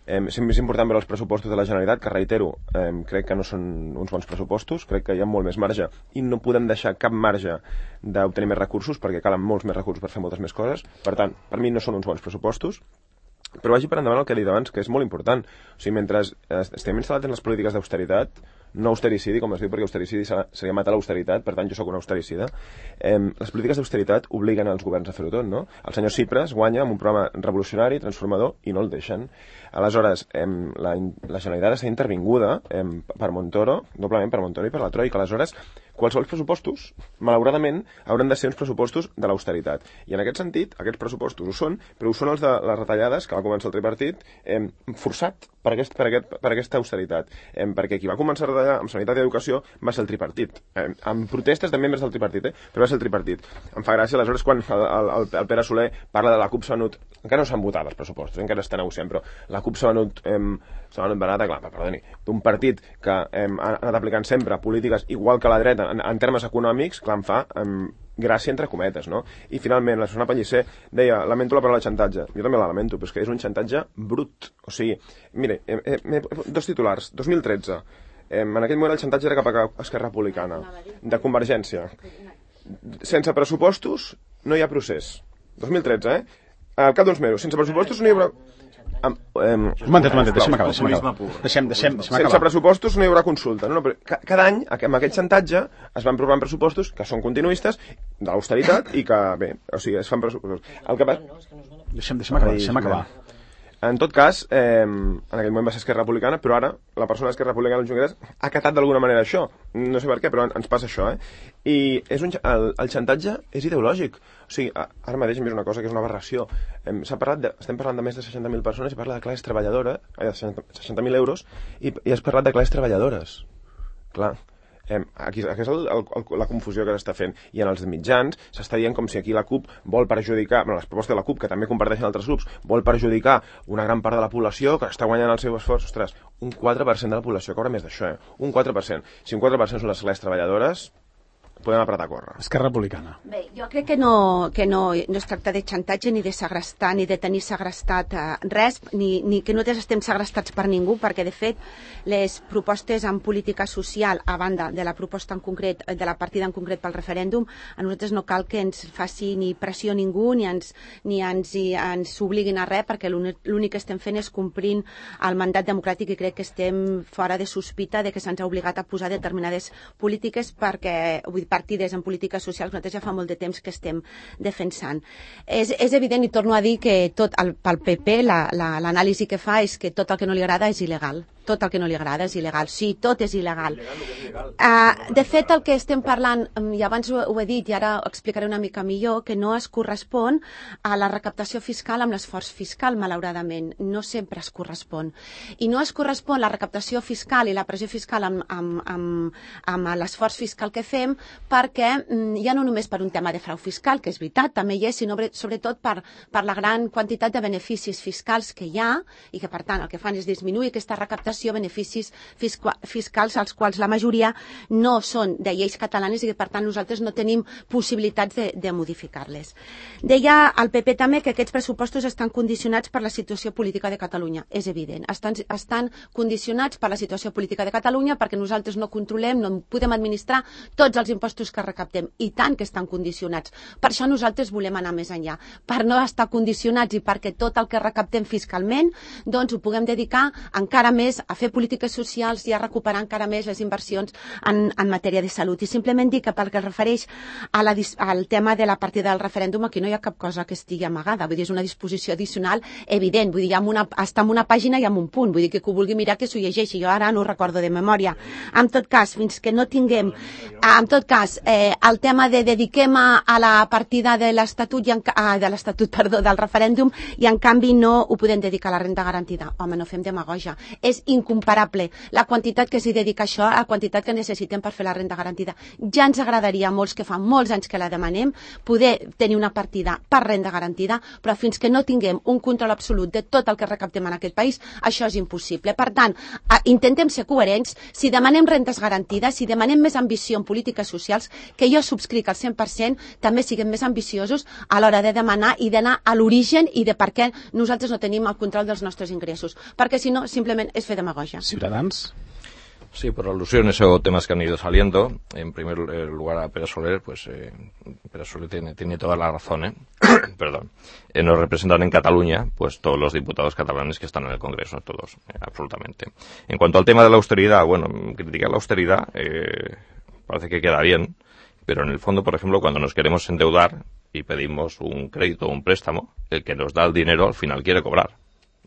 Eh, sempre és important veure els pressupostos de la Generalitat, que reitero, eh, crec que no són uns bons pressupostos, crec que hi ha molt més marge i no podem deixar cap marge d'obtenir més recursos perquè calen molts més recursos per fer moltes més coses. Per tant, per mi no són uns bons pressupostos, però vagi per endavant el que he dit abans, que és molt important. O sigui, mentre estem instal·lats en les polítiques d'austeritat, no austericidi, com es diu, perquè austericidi seria matar l'austeritat, per tant jo sóc un austericida, eh, les polítiques d'austeritat obliguen els governs a fer-ho tot, no? El senyor Tsipras guanya amb un programa revolucionari, transformador, i no el deixen. Aleshores, eh, la, la Generalitat està intervinguda eh, per Montoro, doblement per Montoro i per la Troika. Aleshores, qualsevol pressupostos, malauradament, hauran de ser uns pressupostos de l'austeritat. I en aquest sentit, aquests pressupostos ho són, però ho són els de les retallades, que va començar el tripartit, eh, forçat per, aquest, per, aquest, per aquesta austeritat. Eh, perquè qui va començar a retallar amb sanitat i educació va ser el tripartit. Eh, amb protestes de membres del tripartit, eh, però va ser el tripartit. Em fa gràcia, aleshores, quan el, el, el Pere Soler parla de la CUP s'ha venut... Encara no s'han votat els pressupostos, encara està negociant, però la CUP s'ha venut, eh, s'ha venut barata, clar, perdoni, d'un partit que eh, ha anat aplicant sempre polítiques igual que la dreta en, en termes econòmics, clar, em fa eh, gràcia entre cometes, no? I finalment, la Susana Pellicer deia, lamento la paraula xantatge. Jo també la lamento, però és que és un xantatge brut. O sigui, mire, eh, eh, dos titulars, dos mil tretze, eh, en aquell moment el xantatge era cap a Esquerra Republicana, de Convergència. Sense pressupostos no hi ha procés. dos mil tretze, eh? Al cap d'uns mesos, sense pressupostos no hi haurà... Um, um, un momentet, un momentet, deixem acabar, deixem acabar. Deixem, deixem, deixem acabar. Sense pressupostos no hi haurà consulta. No, no, però cada any, amb aquest xantatge, es van aprovant pressupostos que són continuistes de l'austeritat i que, bé, o sigui, es fan pressupostos. El que va... Deixem, deixem acabar, deixem acabar. En tot cas, eh, en aquell moment va ser Esquerra Republicana, però ara la persona d'Esquerra Republicana, el Junqueras, ha acatat d'alguna manera això. No sé per què, però ens passa això, eh? I és un, el, el xantatge és ideològic. O sigui, ara mateix hem vist una cosa que és una aberració. Eh, s'ha parlat de, estem parlant de més de seixanta mil persones i parla de classes treballadores, eh, seixanta mil euros, i, i has parlat de classes treballadores. Clar. Eh, aquí, aquí és el, el, el, la confusió que s'està fent. I en els mitjans s'està dient com si aquí la CUP vol perjudicar, bueno, les propostes de la CUP, que també comparteixen altres grups, vol perjudicar una gran part de la població que està guanyant el seu esforç. Ostres, un quatre per cent de la població cobra més d'això, eh? Un quatre per cent. Si un quatre per cent són les classes treballadores, podem apretar a córrer. Esquerra Republicana. Bé, jo crec que no, que no, no es tracta de xantatge ni de segrestar, ni de tenir segrestat eh, res, ni, ni que nosaltres estem segrestats per ningú, perquè de fet les propostes en política social, a banda de la proposta en concret, de la partida en concret pel referèndum, a nosaltres no cal que ens faci ni pressió ningú, ni ens, ni ens, i ens obliguin a res, perquè l'únic que estem fent és complint el mandat democràtic i crec que estem fora de sospita de que se'ns ha obligat a posar determinades polítiques perquè, vull dir, partides en polítiques socials, nosaltres ja fa molt de temps que estem defensant. És, és evident, i torno a dir, que tot el, pel P P l'anàlisi la, la, que fa és que tot el que no li agrada és il·legal. Tot el que no li agrada és il·legal. Sí, tot és il·legal. Uh, de fet, el que estem parlant, i abans ho, ho he dit i ara ho explicaré una mica millor, que no es correspon a la recaptació fiscal amb l'esforç fiscal, malauradament. No sempre es correspon. I no es correspon la recaptació fiscal i la pressió fiscal amb, amb, amb, amb l'esforç fiscal que fem perquè mm, ja no només per un tema de frau fiscal, que és veritat, també hi és, sinó sobretot per, per la gran quantitat de beneficis fiscals que hi ha i que, per tant, el que fan és disminuir aquesta recaptació, beneficis fiscals als quals la majoria no són de lleis catalanes i que per tant nosaltres no tenim possibilitats de, de modificar-les. Deia el P P també que aquests pressupostos estan condicionats per la situació política de Catalunya. És evident, estan, estan condicionats per la situació política de Catalunya perquè nosaltres no controlem, no podem administrar tots els impostos que recaptem, i tant que estan condicionats. Per això nosaltres volem anar més enllà, per no estar condicionats i perquè tot el que recaptem fiscalment doncs ho puguem dedicar encara més a fer polítiques socials i a recuperar encara més les inversions en, en matèria de salut. I simplement dir que pel que es refereix a la, al tema de la partida del referèndum, aquí no hi ha cap cosa que estigui amagada, vull dir, és una disposició addicional evident, vull dir, hi ha una, està en una pàgina i en un punt, vull dir que qui ho vulgui mirar que s'ho llegeixi, jo ara no ho recordo de memòria. En tot cas, fins que no tinguem, en tot cas, eh, el tema de dediquem a, a la partida de l'Estatut, i en, ah, de l'Estatut, perdó, del referèndum, i en canvi no ho podem dedicar a la renda garantida. Home, no fem demagogia. És incomparable la quantitat que s'hi dedica a això a la quantitat que necessitem per fer la renda garantida. Ja ens agradaria a molts, que fa molts anys que la demanem, poder tenir una partida per renda garantida, però fins que no tinguem un control absolut de tot el que recaptem en aquest país, això és impossible. Per tant, intentem ser coherents. Si demanem rendes garantides, si demanem més ambició en polítiques socials, que jo subscric al cent per cent, també siguem més ambiciosos a l'hora de demanar i d'anar a l'origen i de per què nosaltres no tenim el control dels nostres ingressos. Perquè si no, simplement és fer demagogia. Ciudadans. Sí, por alusiones o temas que han ido saliendo. En primer lugar, a Pere Soler, pues eh, Pere Soler tiene, tiene toda la razón, ¿eh? Perdón. Eh, nos representan en Cataluña, pues todos los diputados catalanes que están en el Congreso, todos, eh, absolutamente. En cuanto al tema de la austeridad, bueno, criticar la austeridad eh, parece que queda bien, pero en el fondo, por ejemplo, cuando nos queremos endeudar y pedimos un crédito o un préstamo, el que nos da el dinero al final quiere cobrar.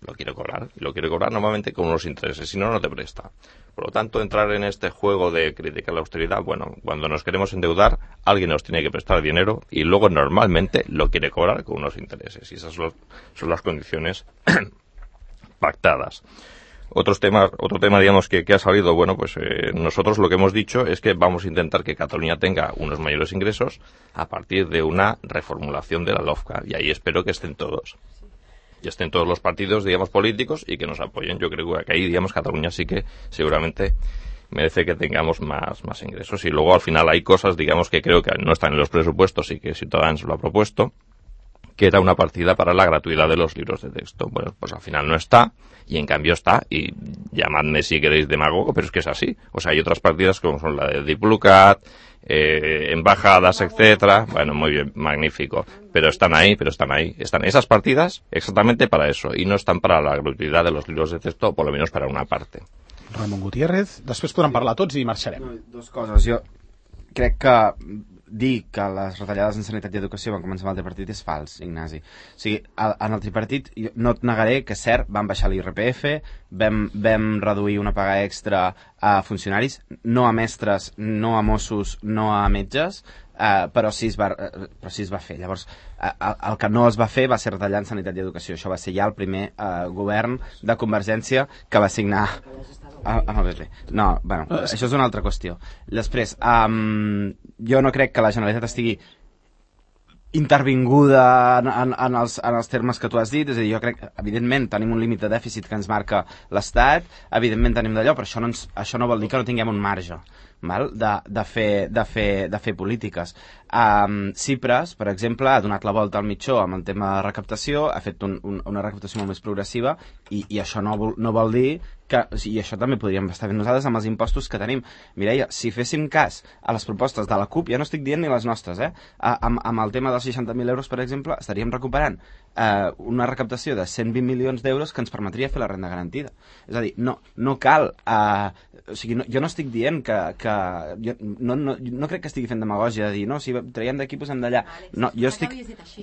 Lo quiere cobrar, y lo quiere cobrar normalmente con unos intereses, si no, no te presta. Por lo tanto, entrar en este juego de criticar la austeridad, bueno, cuando nos queremos endeudar, alguien nos tiene que prestar dinero y luego normalmente lo quiere cobrar con unos intereses, y esas son, son las condiciones pactadas. Otros temas, otro tema, digamos, que, que ha salido, bueno, pues eh, nosotros lo que hemos dicho es que vamos a intentar que Cataluña tenga unos mayores ingresos a partir de una reformulación de la LOFCA, y ahí espero que estén todos. Y estén todos los partidos, digamos, políticos y que nos apoyen. Yo creo que ahí, digamos, Cataluña sí que seguramente merece que tengamos más, más ingresos. Y luego, al final, hay cosas, digamos, que creo que no están en los presupuestos y que Ciudadanos lo ha propuesto, que era una partida para la gratuidad de los libros de texto. Bueno, pues al final no está, y en cambio está, y llamadme si queréis demagogo, pero es que es así. O sea, hay otras partidas como son la de Diplocat, eh, embajadas, etcétera. Bueno, muy bien, magnífico. Pero están ahí, pero están ahí. Están esas partidas exactamente para eso, y no están para la gratuïtat de los libros de texto, o por lo menos para una parte. Ramon Gutiérrez, després podran parlar tots i marxarem. No, dos coses. Jo crec que dir que les retallades en sanitat i educació van començar amb el tripartit és fals, Ignasi. O sigui, en el tripartit, no et negaré que, cert, van baixar l'I R P F, vam, vam reduir una paga extra a funcionaris, no a mestres, no a Mossos, no a metges, eh, però, sí es va, eh, però sí es va fer. Llavors, eh, el que no es va fer va ser retallar en sanitat i educació. Això va ser ja el primer eh, govern de Convergència que va signar... Ah, ah, bé, bé. No, bueno, això és una altra qüestió. Després, um, jo no crec que la Generalitat estigui intervinguda en, en, en, els, en els termes que tu has dit, és a dir, jo crec que evidentment tenim un límit de dèficit que ens marca l'Estat, evidentment tenim d'allò, però això no, ens, això no vol dir que no tinguem un marge, val? De, de, fer, de, fer, de fer polítiques. Um, Cipres, per exemple, ha donat la volta al mitjó amb el tema de recaptació, ha fet un, un, una recaptació molt més progressiva i, i això no vol, no vol dir que, i això també podríem estar fent nosaltres amb els impostos que tenim. Mireia, si féssim cas a les propostes de la CUP, ja no estic dient ni les nostres, eh? A, amb, amb el tema dels seixanta mil euros, per exemple, estaríem recuperant eh, una recaptació de cent vint milions d'euros que ens permetria fer la renda garantida. És a dir, no, no cal... Eh, o sigui, no, jo no estic dient que... que jo no, no, no crec que estigui fent demagògia de dir, no, si traiem d'aquí, posem d'allà. No, jo estic...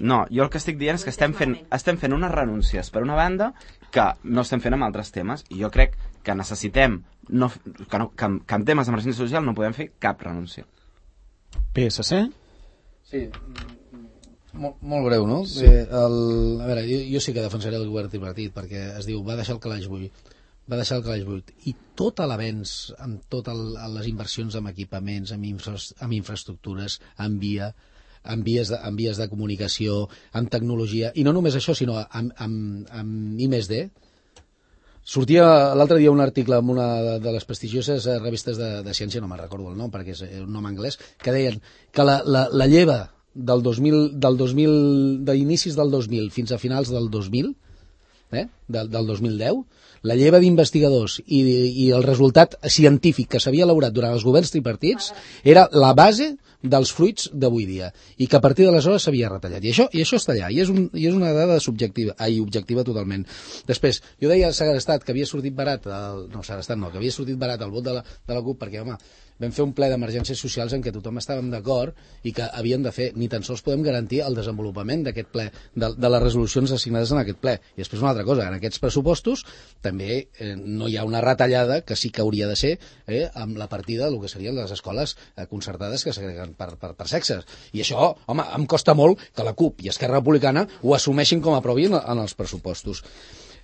No, jo el que estic dient és que estem fent, estem fent unes renúncies per una banda que no estem fent amb altres temes, i jo crec que necessitem no, que, no, que, que en temes d'emergència social no podem fer cap renúncia. P S C? Sí, molt, molt breu, no? Sí. Eh, el, a veure, jo, jo sí que defensaré el govern tripartit, perquè es diu, va deixar el calaix buit, va deixar el calaix buit, i tot l'avenç amb totes les inversions en equipaments, en, infra, en infraestructures, en via, en vies, de, en vies de comunicació, en tecnologia, i no només això, sinó amb, amb, amb I més D. Sortia l'altre dia un article en una de les prestigioses revistes de, de ciència, no me'n recordo el nom perquè és un nom anglès, que deien que la, la, la lleva del dos mil, del dos mil, d'inicis del dos mil fins a finals del dos mil, eh, del, del dos mil deu, la lleva d'investigadors i, i el resultat científic que s'havia elaborat durant els governs tripartits era la base dels fruits d'avui dia, i que a partir d'aleshores s'havia retallat, i això, i això està allà, i és, un, i és una dada subjectiva, ai, objectiva totalment. Després, jo deia a Segrestat que havia sortit barat el, no, Segrestat no, que havia sortit barat el vot de la, de la CUP, perquè, home, vam fer un ple d'emergències socials en què tothom estàvem d'acord i que havien de fer, ni tan sols podem garantir el desenvolupament d'aquest ple, de, de les resolucions assignades en aquest ple. I després una altra cosa, en aquests pressupostos també eh, no hi ha una retallada que sí que hauria de ser eh, amb la partida del que serien les escoles eh, concertades que segreguen per, per, per sexes. I això, home, em costa molt que la CUP i Esquerra Republicana ho assumeixin com a propi en, en els pressupostos.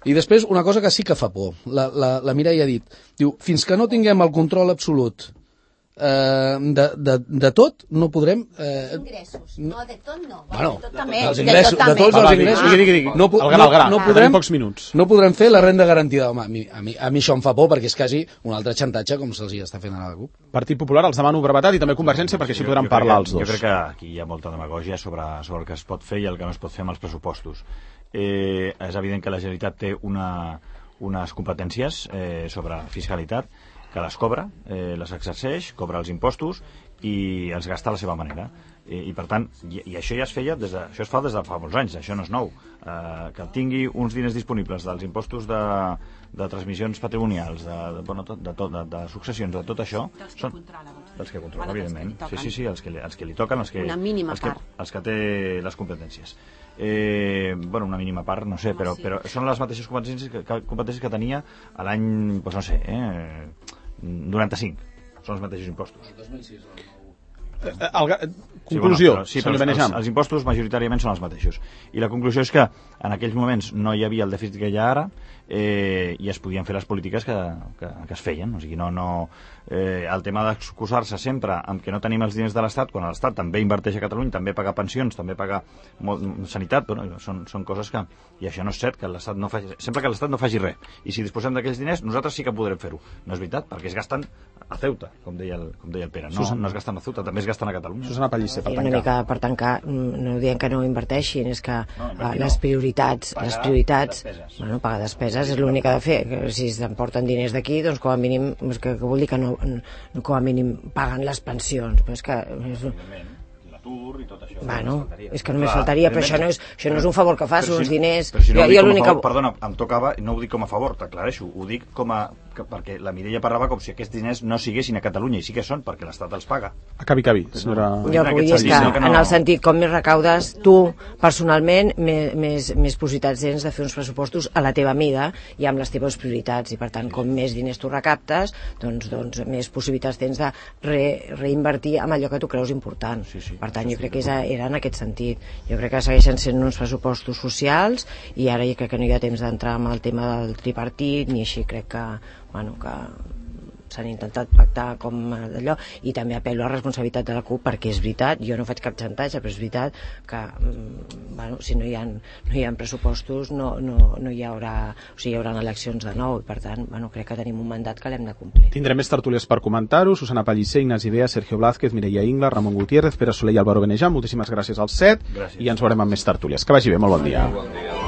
I després, una cosa que sí que fa por, la, la, la Mireia ha dit, diu, fins que no tinguem el control absolut eh, de, de, de tot, no podrem... Eh, ingressos, no, de tot no. Bueno, de tot també. Els ingressos, de, de tots els ingressos. Digui, digui, digui. No, el gra, el gra. no, no, podrem, pocs minuts. no podrem fer la renda garantida. Home, a mi, a, mi, a mi això em fa por perquè és quasi un altre xantatge com se'ls està fent a la CUP. Partit Popular, els demano brevetat i també Convergència perquè així podran parlar els dos. Jo crec que aquí hi ha molta demagògia sobre, sobre el que es pot fer i el que no es pot fer amb els pressupostos. Eh, és evident que la Generalitat té una, unes competències eh, sobre fiscalitat que les cobra, eh, les exerceix, cobra els impostos i els gasta a la seva manera. I, i per tant, i, i això ja es feia des de, això es fa des de fa molts anys, això no és nou. Eh, que tingui uns diners disponibles dels impostos de, de transmissions patrimonials, de, de, bueno, tot, de, tot, de, de successions, de tot això, dels que són controla, dels que controla, evidentment. Sí, sí, sí, els que, els que li toquen, els que, una mínima els que, part. Els que té les competències. Eh, bueno, una mínima part, no sé, però, però són les mateixes competències que, que, competències que tenia a l'any, doncs no sé, eh, noranta-cinc. Són els mateixos impostos. El dos mil sis, el El, conclusió, sí, bueno, però, sí, però els, els impostos majoritàriament són els mateixos. I la conclusió és que en aquells moments no hi havia el dèficit que hi ha ara eh, i es podien fer les polítiques que, que, que es feien. O sigui, no, no, eh, el tema d'excusar-se sempre amb que no tenim els diners de l'Estat, quan l'Estat també inverteix a Catalunya, també paga pensions, també paga molt, sanitat, bueno, són, són coses que... I això no és cert, que l'Estat no faci... Sempre que l'Estat no faci res. I si disposem d'aquells diners, nosaltres sí que podrem fer-ho. No és veritat, perquè es gasten a Ceuta, com deia el, com deia el Pere. No, no es gasten a Ceuta, també es gasten a Catalunya. Susana Pellicer, per tancar. Una mica per tancar, no diem que no inverteixin, és que no, les prioritats, pagar les prioritats, despeses. Bueno, pagar despeses és l'únic que ha de fer. Si s'emporten diners d'aquí, doncs com a mínim, és que, que vol dir que no, no, com a mínim paguen les pensions. Però és que... És... l'atur i tot això. Bueno, és que només faltaria, però això no és, això no és un favor que fas, són uns diners... Però si no ho dic jo, com a que... favor, perdona, em tocava, no ho dic com a favor, t'aclareixo, ho dic com a... Que, perquè la Mireia parlava com si aquests diners no siguessin a Catalunya, i sí que són, perquè l'Estat els paga. Acabi, acabi, senyora... Jo el que vull dir és que, que no... en el sentit, com més recaudes, tu, personalment, més, més, més possibilitats tens de fer uns pressupostos a la teva mida i amb les teves prioritats, i per tant, com més diners tu recaptes, doncs, doncs més possibilitats tens de re, reinvertir amb allò que tu creus important. Sí, sí. Per tant, jo crec que és, era en aquest sentit. Jo crec que segueixen sent uns pressupostos socials i ara jo crec que no hi ha temps d'entrar amb el tema del tripartit ni així, crec que, bueno, que s'han intentat pactar com d'allò, i també apel·lo a la responsabilitat de la CUP, perquè és veritat, jo no faig cap xantatge, però és veritat que bueno, si no hi ha, no hi ha pressupostos no, no, no hi haurà, o sigui, hi haurà eleccions de nou, i per tant bueno, crec que tenim un mandat que l'hem de complir. Tindrem més tertúlies per comentar-ho. Susana Pellicer, Ignasi Bea, Sergio Blázquez, Mireia Ingla, Ramon Gutiérrez, Pere Soler i Álvaro Benejà. Moltíssimes gràcies als set. Gràcies. I ens veurem amb més tertúlies. Que vagi bé, molt bon dia. Bon dia.